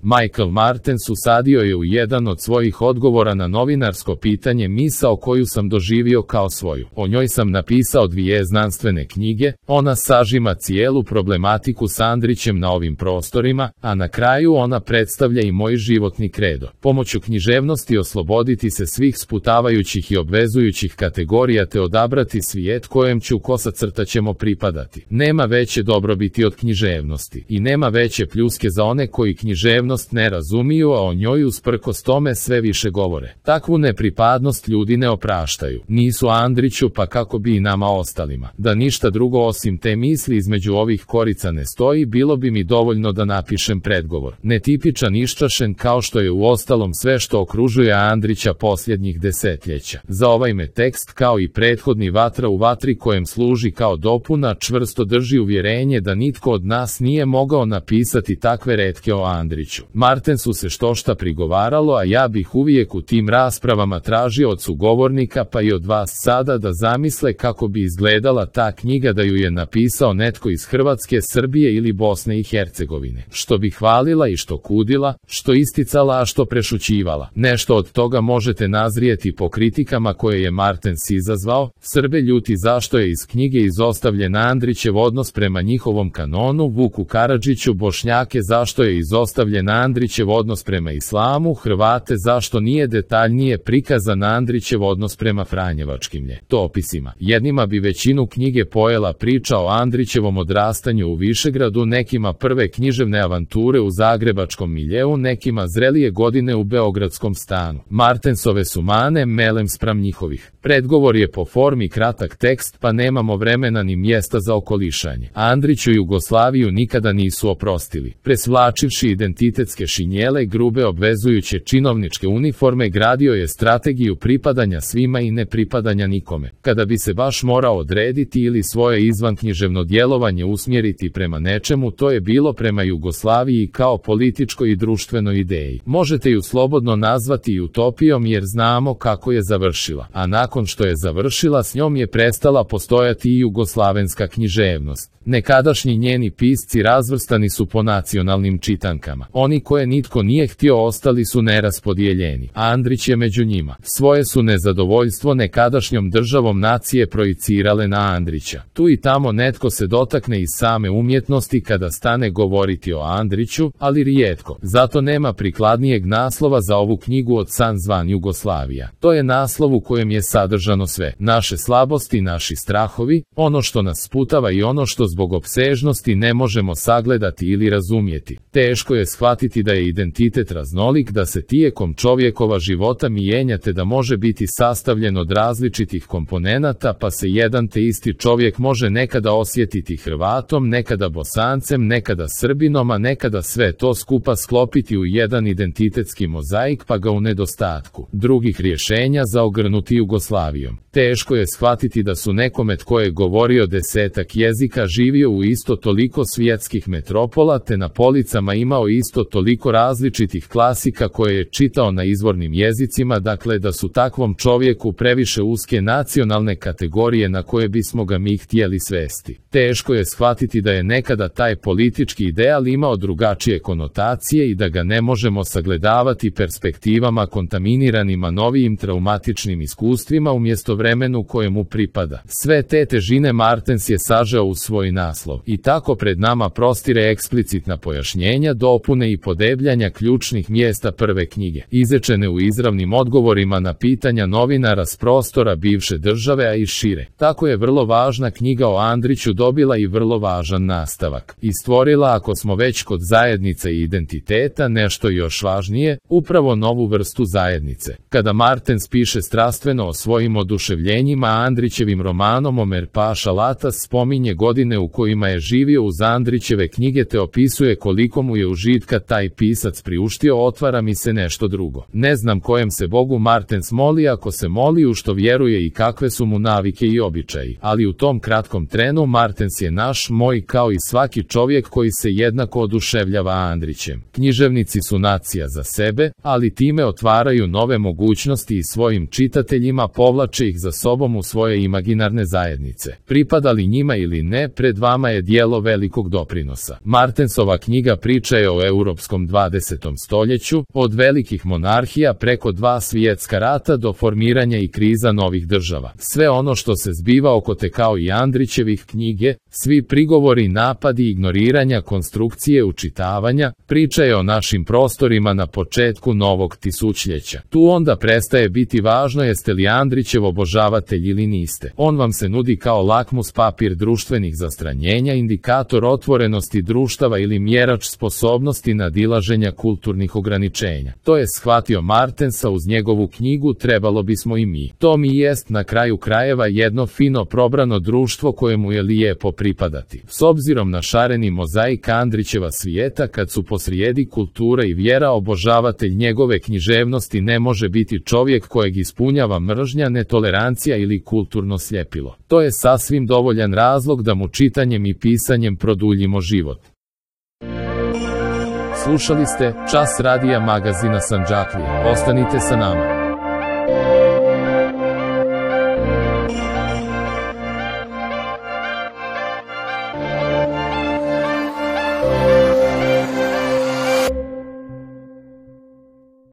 Michael Martens usadio je u jedan od svojih odgovora na novinarsko pitanje misao koju sam doživio kao svoju. O njoj sam napisao 2 znanstvene knjige, ona sažima cijelu problematiku s Andrićem na ovim prostorima, a na kraju ona predstavlja i moj životni kredo. Pomoću književnosti osloboditi se svih sputavajućih i obvezujućih kategorija te odabrati svijet kojem ću ćemo pripadati. Nema veće dobrobiti od književnosti i nema veće pljuske za one koji književnost ne razumiju, a o njoj usprkos tome sve više govore. Takvu nepripadnost ljudi ne opraštaju. Nisu Andriću, pa kako bi i nama ostalima. Da ništa drugo osim te misli između ovih korica ne stoji, bilo bi mi dovoljno da napišem predgovor. Netipičan, iščašen, kao što je uostalom sve što okružuje Andrića posljednjih desetljeća. Za ovaj me tekst, kao i prethodni Vatra u vatri kojem služi kao dopuna, čvrsto drži uvjerenje da nitko od nas nije mogao napisati takve retke o Andriću. Martensu se štošta prigovaralo, a ja bih uvijek u tim raspravama tražio od sugovornika pa i od vas sada da zamisle kako bi izgledala ta knjiga da ju je napisao netko iz Hrvatske, Srbije ili Bosne i Hercegovine. Što bi hvalila i što kudila, što isticala, a što prešućivala. Nešto od toga možete nazrijeti po kritikama koje je Martens izazvao. Srbe ljuti zašto je iz knjige izostavljen Andrićev odnos prema njihovom kanonu, Vuku Karadžiću Bošnjake zašto je izostavljen Andrićev odnos prema islamu, Hrvate zašto nije detaljnije prikazan Andrićev odnos prema franjevačkim ljetopisima. Jednima bi većinu knjige pojela priča o Andrićevom odrastanju u Višegradu, nekima prve književne avanture u zagrebačkom miljeu, nekima zrelije godine u beogradskom stanu. Martensove su mane melem spram njihovih. Predgovor je po formi kratak tekst, pa nemamo vremena ni mjesta za okolišanje. Andriću Jugoslaviju nikada nisu oprostili. Presvlačivši identitetske šinjele, grube obvezujuće činovničke uniforme, gradio je strategiju pripadanja svima i nepripadanja nikome. Kada bi se baš morao odrediti ili svoje izvanknjiževno djelovanje usmjeriti prema nečemu, to je bilo prema Jugoslaviji kao političkoj i društvenoj ideji. Možete ju slobodno nazvati i utopijom jer znamo kako je završila, a nakon što je završila s njom je prestala postojati i jugoslavenska književnost. Nekadašnji njeni pisci razvrstani su po nacionalnim čitankama. Oni koje nitko nije htio ostali su neraspodijeljeni. Andrić je među njima. Svoje su nezadovoljstvo nekadašnjom državom nacije projicirale na Andrića. Tu i tamo netko se dotakne iz same umjetnosti kada stane govoriti o Andriću, ali rijetko. Zato nema prikladnijeg naslova za ovu knjigu od San zvan Jugoslavija. To je naslov u kojem je sadržano sve. Naše slabosti, naši strahovi, ono što nas sputava i ono što zbog opsežnosti ne možemo sagledati ili razumjeti. Teško je shvatiti da je identitet raznolik, da se tijekom čovjekova života mijenja te da može biti sastavljen od različitih komponenata, pa se jedan te isti čovjek može nekada osjetiti Hrvatom, nekada Bosancem, nekada Srbinom, a nekada sve to skupa sklopiti u jedan identitetski mozaik pa ga u nedostatku drugih rješenja zaogrnuti Jugoslavijom. Teško je shvatiti da su nekome tko je govorio 10 jezika živio u isto toliko svjetskih metropola te na policama imao isto toliko različitih klasika koje je čitao na izvornim jezicima, dakle da su takvom čovjeku previše uske nacionalne kategorije na koje bismo ga mi htjeli svesti. Teško je shvatiti da je nekada taj politički ideal imao drugačije konotacije i da ga ne možemo sagledavati perspektivama kontaminiranima novijim traumatičnim iskustvima umjesto vremenu kojemu pripada. Sve te težine Martens je sažeo u svoj naslov i tako pred nama prostire eksplicitna pojašnjenja, dopune i podebljanja ključnih mjesta prve knjige, izrečene u izravnim odgovorima na pitanja novinara s prostora bivše države, a i šire. Tako je vrlo važna knjiga o Andriću dobila i vrlo važan nastavak. I stvorila, ako smo već kod zajednice i identiteta, nešto još važnije, upravo novu vrstu zajednice. Kada Martens piše strastveno o svojim oduševljenjima Andrićevim romanom Omer Paša Latas, spominje godine u kojima je živio uz Andrićeve knjige te opisuje koliko mu je užitka taj pisac priuštio. Otvara mi se nešto drugo. Ne znam kojem se Bogu Martens moli, ako se moli u što vjeruje i kakve su mu navike i običaji, ali u tom kratkom trenu Martens je naš, moj, kao i svaki čovjek koji se jednako oduševljava Andrićem. Književnici su nacija za sebe, ali time otvaraju nove mogućnosti i svojim čitateljima povlače ih za sobom u svoje imaginarne zajednice. Pripadali njima ili ne, pred vama je djelo velikog doprinosa. Martensova knjiga priča je o europskom 20. stoljeću, od velikih monarhija preko 2 svjetska rata do formiranja i kriza novih država. Sve ono što se zbiva oko te kao i Andrićevih knjige, svi prigovori, napadi, ignoriranja, konstrukcije, učitavanja, priča je o našim prostorima na početku novog tisućljeća. Tu onda prestaje biti važno jeste li Andrićev obožavatelj ili niste. On vam se nudi kao lakmus papir društvenih zastranjenja, indikator otvorenosti društava ili mjerač sposobnosti nadilaženja kulturnih ograničenja. To je shvatio Martensa uz njegovu knjigu Trebalo bismo i mi. To mi jest na kraju krajeva jedno fino probrano društvo kojemu je lijepo pripadati. S obzirom na šareni mozaik Andrićeva svijeta, kad su posrijedi kultura i vjera, obožavatelj njegove književnosti ne može biti čovjek kojeg ispunjava mržnja, netolerancija ili kulturno sljepilo. To je sasvim dovoljan razlog da mu čitanjem i pisanjem produljimo život. Slušali ste Čas radija magazina Sandžaklija. Ostanite sa nama.